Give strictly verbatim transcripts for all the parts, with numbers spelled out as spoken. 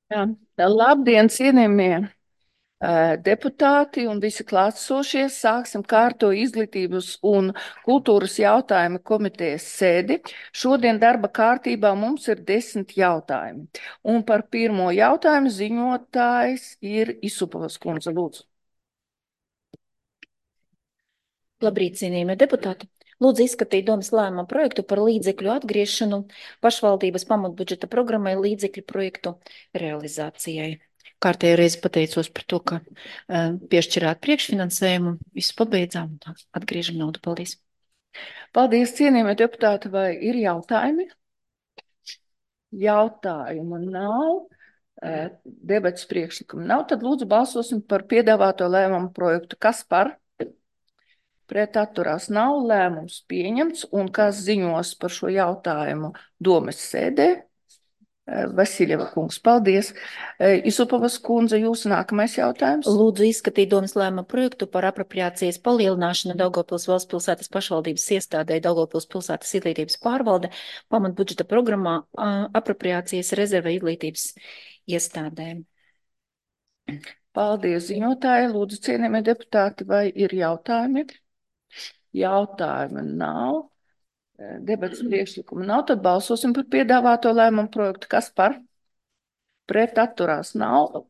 Jā. Labdien, cienījamie eh, deputāti un visi klātsošie. Sāksim kārto izglītības un kultūras jautājumu komitejas sēdi. Šodien darba kārtībā mums ir desmit jautājumi. Un par pirmo jautājumu ziņotājs ir Isupovas kundze. Lūdzu. Labrīt, cienījamie deputāti! Lūdzu izskatīt domas lēmuma projektu par līdzekļu atgriešanu pašvaldības pamatbudžeta programmai līdzekļu projektu realizācijai. Kārtējo reizi pateicos par to, ka uh, piešķirāt priekšfinansējumu, visu pabeidzām un atgriežam naudu. Paldies! Paldies, cienījamie deputāti, vai ir jautājumi? Jautājumu nav. Debats priekšlikumu nav, tad lūdzu balsosim par piedāvāto lēmumu projektu. Kas par? Pret atturās nav, lēmums pieņemts, un kas ziņos par šo jautājumu domes sēdē? Vasiljeva kungs, paldies. Isupovas kundze, jūsu nākamais jautājums. Lūdzu izskatīt domas lēmuma projektu par apropriācijas palielināšanu Daugavpils valsts pilsētas pašvaldības iestādē Daugavpils pilsētas izglītības pārvalde pamatbudžeta programmā apropriācijas rezerve izglītības iestādēm. Paldies, ziņotāji. Lūdzu, cienījamie deputāti, vai ir jautājumi? Jautājumi nav. Debats priekšlikumu nav, tad balsosim par piedāvāto lēmumu projektu. Kas par? Pret atturās nav.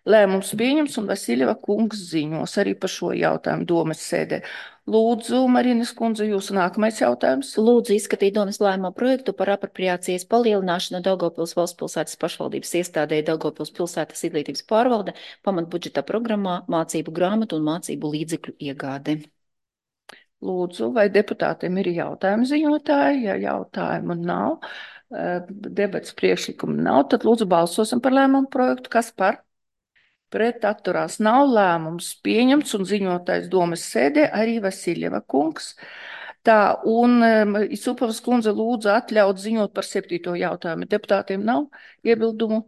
Lēmums pieņems un Vasiljeva kungs ziņos arī par šo jautājumu domes sēdē. Lūdzu, Marinas kundze, jūsu nākamais jautājums. Lūdzu izskatīt domas lēmuma projektu par apropriācijas palielināšanu Daugavpils valsts pilsētas pašvaldības iestādē Daugavpils pilsētas izglītības pārvalde pamatbudžeta programmā mācību grāmatu un mācību līdzekļu iegāde. Lūdzu, vai deputātiem ir jautājumi ziņotāji? Ja jautājumu nav, debats priekšlikumu nav, tad lūdzu balsosim par lēmumu projektu. Kas par? Pret atturās nav, lēmums pieņemts un ziņotājs domes sēdē arī Vasiljeva kungs. Tā, un Isupovas kundze lūdzu atļaut ziņot par septīto jautājumu. Deputātiem nav iebildumu?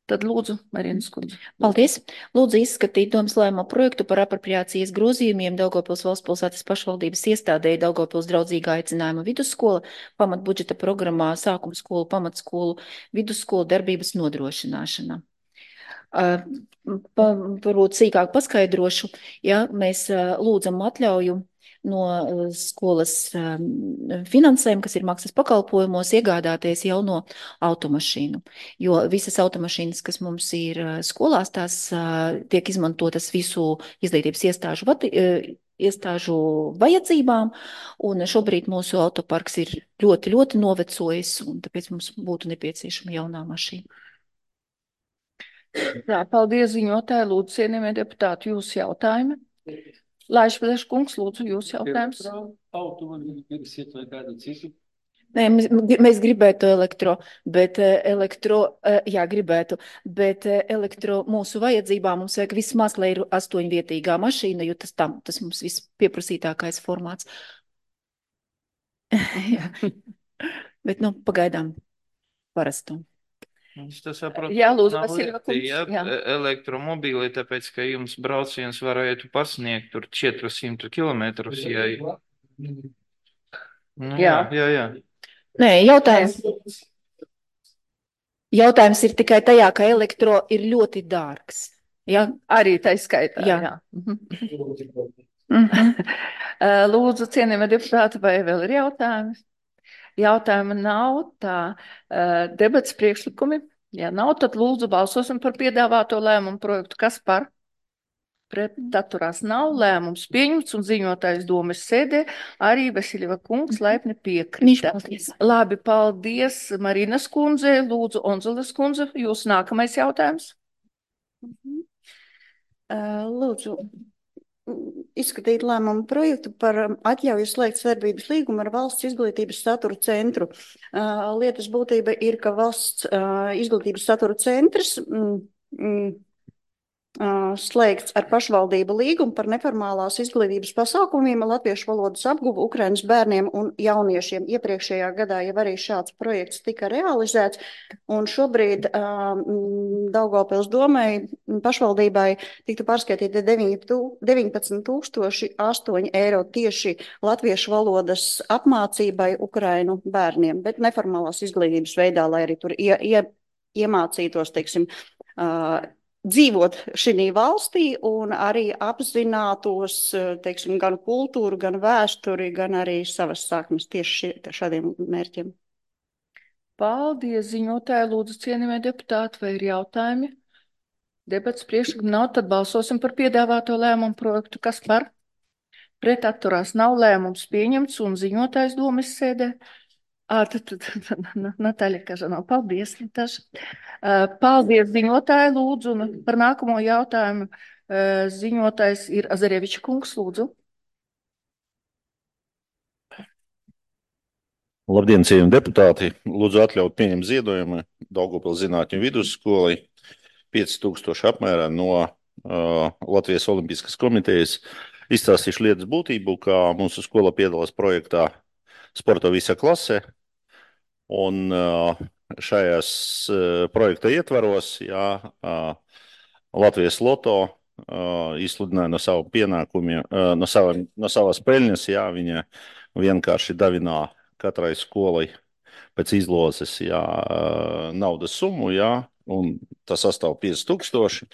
Tad lūdzu, Marinas kundze. Paldies. Lūdzu izskatīt domas lēmuma projektu par apropriācijas grozījumiem Daugavpils valsts pilsētas pašvaldības iestādē Daugavpils draudzīgā aicinājuma vidusskola pamatbudžeta programmā sākuma skolu, pamatskolu, vidusskolu darbības nodrošināšana. Uh, pa, varbūt sīkāk paskaidrošu, ja mēs uh, lūdzam atļauju no skolas finansējuma, kas ir maksas pakalpojumos, iegādāties jauno automašīnu. Jo visas automašīnas, kas mums ir skolās, tās tiek izmantotas visu izglītības iestāžu, iestāžu vajadzībām, un šobrīd mūsu autoparks ir ļoti, ļoti novecojis, un tāpēc mums būtu nepieciešama jaunā mašīna. Jā, paldies ziņotāji, lūdzu, cienījamie deputāti, jūsu jautājumi. Laišpēdēš kungs, lūdzu, jūs jautājums. Nē, mēs, mēs gribētu elektro, bet elektro, jā, gribētu, bet elektro mūsu vajadzībām mums vajag vismaz, lai ir astoņvietīgā mašīna, jo tas tam, tas mums viss pieprasītākais formāts. Bet, nu, pagaidām parastu. Es to saprotu. Jā, lūdzu, nav Vasiljeva lieti, kungs. ja, Jā. elektromobīli, tāpēc, ka jums brauciens varētu pasniegt tur četrsimt kilometrus, ja... Nu, jā, jā, jā. Nē, jautājums, jautājums ir tikai tajā, ka elektro ir ļoti dārgs. Ja? Arī tā skaitā. Jā. Jā. Mhm. Lūdzu, cienījamie deputāti, vai vēl ir jautājumi? Jautājuma nav, tā debats priekšlikumi. Ja nav, tad lūdzu balsosim par piedāvāto lēmumu projektu. Kas par? Pret atturās nav, lēmums pieņemts un ziņotājs domes sēdē arī Vasiljeva kungs laipni piekrita. Labi, paldies Marinas kundze, lūdzu Onzules kundze, jūs nākamais jautājums. Mhm. Lūdzu, izskatīt lēmumu projektu par atļauju slēgt sadarbības līgumu ar valsts izglītības satura centru. Lietas būtība ir, ka valsts izglītības satura centrs mm, mm, slēgts ar pašvaldību līgumu par neformālās izglītības pasākumiem latviešu valodas apguvu Ukrainas bērniem un jauniešiem. Iepriekšējā gadā jau arī šāds projekts tika realizēts, un šobrīd uh, Daugavpils domai pašvaldībai tiktu pārskaitīti deviņpadsmit tūkstoši astoņi eiro tieši latviešu valodas apmācībai Ukrainu bērniem, bet neformālās izglītības veidā, lai arī tur ie, ie, iemācītos, teiksim, uh, dzīvot šī valstī un arī apzinātos, teiksim, gan kultūru, gan vēsturi, gan arī savas saknes tieši šie, šādiem mērķiem. Paldies, ziņotāji, lūdzu, cienījamie deputāti, vai ir jautājumi? Debats priekšlikumi nav, tad balsosim par piedāvāto lēmumu projektu. Kas par? Pret atturās nav, lēmums pieņemts un ziņotājs domas sēdē. À, tad, tad, tad, Natāļa Kažanova, paldies, Natāša. Paldies, ziņotāji, lūdzu, un par nākamo jautājumu ziņotājs ir Azareviča kungs, lūdzu. Labdien, cienījami deputāti! Lūdzu atļaut pieņemt ziedojumu Daugavpils zinātņu vidusskolai pieci tūkstoši apmērā no uh, Latvijas Olimpiskās komitejas. Izstāstīšu lietas būtību, kā mūsu skola piedalās projektā Sporta visa klase. Un uh, šajās uh, projekta ietvaros, jā, uh, Latvijas Loto uh, izsludināja no savu pienākumiem, uh, no, sava, no savas peļņas, jā, viņa vienkārši davinā katrai skolai pēc izlozes, jā, naudas summu, jā, un tas sastāv pieci tūkstoši.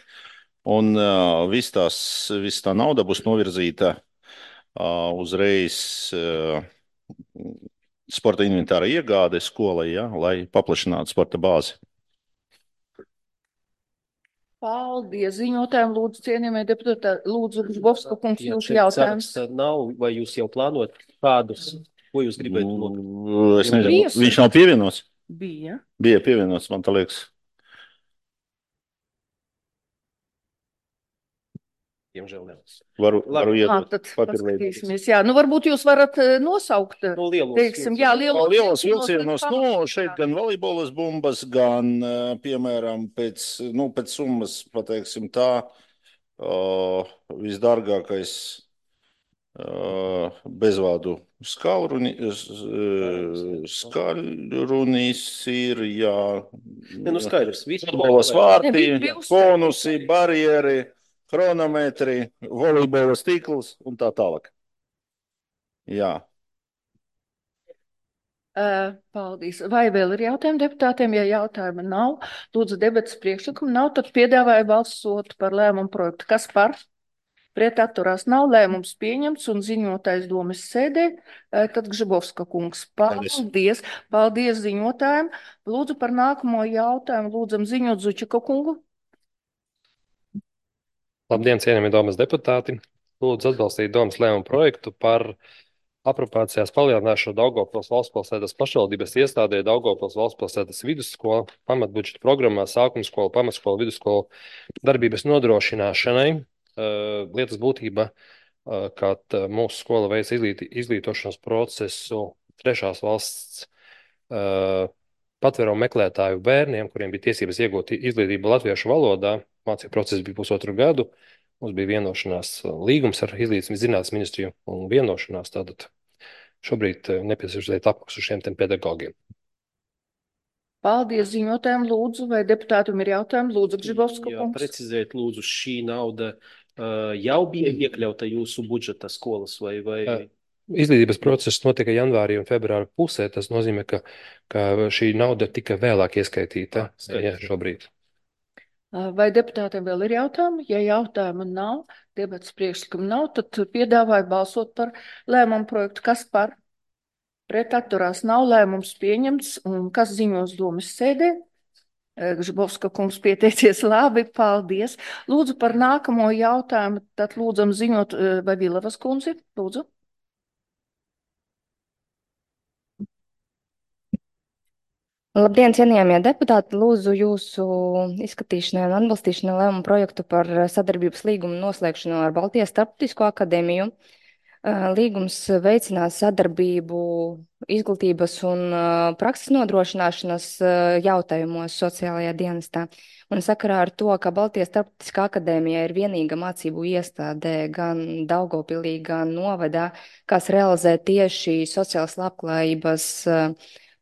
Un uh, viss tās, viss tā nauda būs novirzīta uh, uzreiz uh, sporta inventāra iegāde skolai, jā, lai paplašinātu sporta bāzi. Paldies, ziņotājiem, lūdzu, cienījamie deputāti, lūdzu, Žbovska kungs, jūsu jautājums. Nav, vai jūs jau plānojat kādus? Ko jūs gribētu nopirkt? Es nezinu, viņš nav pievienots? Bija. Bija pievienots, man tā liekas. Diemžēl ne. Varu, varu iet. Ā, tad paskatīsimies. Jā, nu varbūt jūs varat nosaukt, no lielos, teiksim, jā, lielos, lielos vilcienos, nu, šeit gan volejbolas bumbas, gan, piemēram, pēc, nu, pēc summas, pateiksim tā, uh, visdārgākais Uh, bezvādu skalruni, uh, skaļrunis ir, jā, ne, nu skaidrs, futbolas vārti, konusi, barjeri, chronometri, volejbolas tīkls un tā tālāk. Jā. Uh, paldies. Vai vēl ir jautājumi deputātiem? Ja jautājuma nav, lūdzu debats priekšlikumu nav, tad piedāvāju balsot par lēmumu projektu. Kas par? Pret atturās nav, lēmums pieņemts un ziņotājs domas sēdē, tad Gžibovska kungs. Paldies. Paldies, paldies ziņotājiem. Lūdzu par nākamo jautājumu, lūdzam ziņot Zučika kungu. Labdien, cienījamie domas deputāti. Lūdzu atbalstīt domas lēmumu projektu par apropācijās palielināšanu Daugavpils valstspilsētas pašvaldības iestādē Daugavpils valstspilsētas vidusskola, pamatbudžeta programmā, sākumskola, pamatskola, vidusskola darbības nodrošināšanai. Uh, lietas būtība, uh, kad uh, mūsu skola veic izglīt, izglītošanas procesu trešās valsts uh, patvērumu meklētāju bērniem, kuriem bija tiesības iegūt izglītību latviešu valodā. Mācību process bija pusotru gadu. Mums bija vienošanās līgums ar Izglītības zinātnes ministriju un vienošanās. Tātad šobrīd uh, nepieciešams apmaksu šiem tiem pedagogiem. Paldies ziņotājiem, lūdzu, vai deputātum ir jautājumi? Lūdzu, Gžibovska kungs. Jā, precizēt, lūdzu, šī nauda uh, jau bija iekļauta jūsu budžeta skolas vai... vai... Izglītības process notika janvārī un februāra pusē. Tas nozīmē, ka, ka šī nauda tika vēlāk ieskaitīta ja, šobrīd. Vai deputātiem vēl ir jautājumi? Ja jautājumu nav, debats priekšlikumu nav, tad piedāvāju balsot par lēmumu projektu. Kas par? Pret atturās nav, lēmums pieņemts, un kas ziņos domas sēdē? Gžibovska kungs pieteicies labi, paldies. Lūdzu par nākamo jautājumu, tad lūdzam ziņot, vai Vilavas kundzi, lūdzu. Labdien, cienījamie deputāti, lūdzu jūsu izskatīšanai un atbalstīšanai lēmumu projektu par sadarbības līgumu noslēgšanu ar Baltijas Starptautisko akadēmiju. Līgums veicinās sadarbību izglītības un prakses nodrošināšanas jautājumos sociālajā dienestā. Un sakarā ar to, ka Baltijas Starptautiskā akadēmija ir vienīga mācību iestāde gan Daugavpilī, gan novadā, kas realizē tieši sociālas labklājības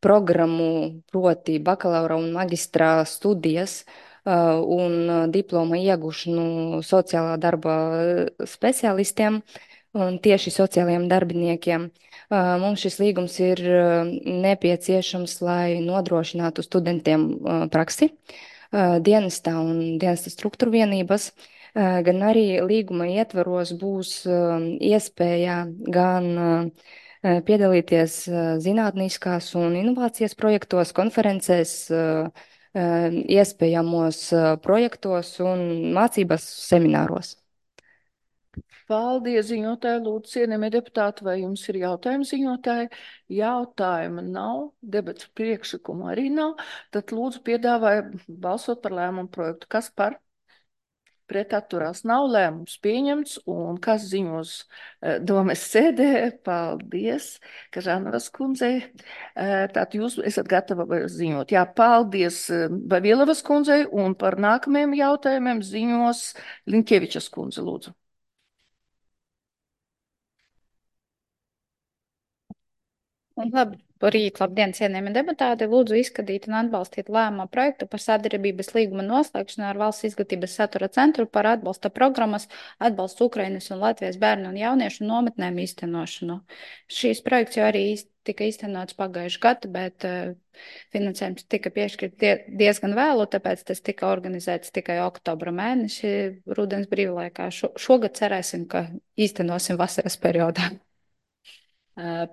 programmu, proti bakalaura un maģistrā studijas un diploma iegūšanu sociālā darba speciālistiem un tieši sociālajiem darbiniekiem. Mums šis līgums ir nepieciešams, lai nodrošinātu studentiem praksi. dienestā un dienesta struktūra vienības, gan arī līguma ietvaros būs iespēja gan piedalīties zinātniskās un inovācijas projektos, konferencēs, iespējamos projektos un mācības semināros. Paldies, ziņotāji, lūdzu, cienījamie deputāti, vai jums ir jautājumi, ziņotāji? Jautājuma nav, debats priekšlikumu arī nav, tad lūdzu piedāvāju balsot par lēmumu projektu. Kas par? Pret atturās nav, lēmums pieņemts, un kas ziņos domes sēdē? Paldies, Kažanovas kundzei. Tātad jūs esat gatava ziņot. Jā, paldies Vavilovas kundzei, un par nākamajiem jautājumiem ziņos Linkevičas kundze, lūdzu. Labrīt, labdien, cienījami deputāti. Lūdzu izskatīt un atbalstīt lēmumu projektu par sadarbības līguma noslēgšanu ar Valsts izglītības satura centru par atbalsta programmas atbalstu Ukrainas un Latvijas bērnu un jauniešu nometnēm īstenošanu. Šīs projekts jau arī tika īstenots pagājuši gadu, bet uh, finansējums tika piešķirt die, diezgan vēlu, tāpēc tas tika organizēts tikai oktobra mēneši rudens brīvlaikā. Šo, šogad cerēsim, ka īstenosim vasaras periodā.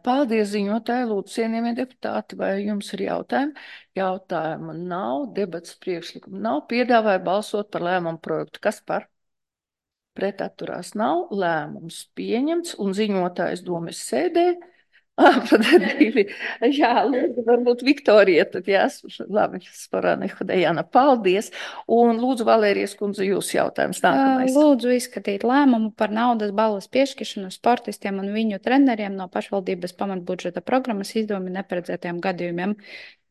Paldies, ziņotāji, lūdzu, cienījamie deputāti, vai jums ir jautājumi? Jautājumu nav, debats priekšlikumu nav, piedāvāju balsot par lēmumu projektu. Kas par? Pret atturās nav, lēmums pieņemts un ziņotājs domes sēdē. Divi. Jā, lūdzu, varbūt Viktorija, tad jās, labi, Sporāne Hodejana, paldies. Un lūdzu, Valērijas kundze, jūs jautājums nākamais. Lūdzu izskatīt lēmumu par naudas balvas piešķiršanu sportistiem un viņu treneriem no pašvaldības pamatbudžeta programmas izdevumi neparedzētiem gadījumiem.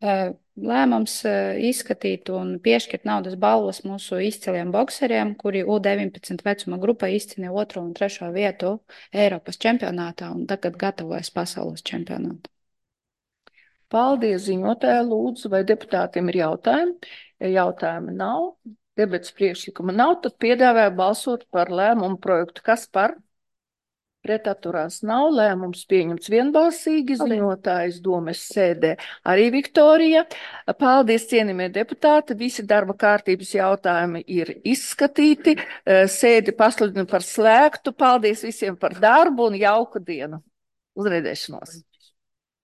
Lēmums izskatīt un piešķirt naudas balvas mūsu izciliem bokseriem, kuri U deviņpadsmit vecuma grupā izcīnīja otro un trešo vietu Eiropas čempionātā un tagad gatavojas pasaules čempionātu. Paldies, ziņotāji, lūdzu, vai deputātiem ir jautājumi? Ja jautājumi nav, debats priekšlikuma nav, tad piedāvāju balsot par lēmumu projektu. Kas par? Pret atturās nav, lēmums pieņemts vienbalsīgi, ziņotājs domes sēdē arī Viktorija. Paldies, cienījamie deputāti, visi darba kārtības jautājumi ir izskatīti, sēdi pasludinu par slēgtu. Paldies visiem par darbu un jauku dienu. Uz redzēšanos!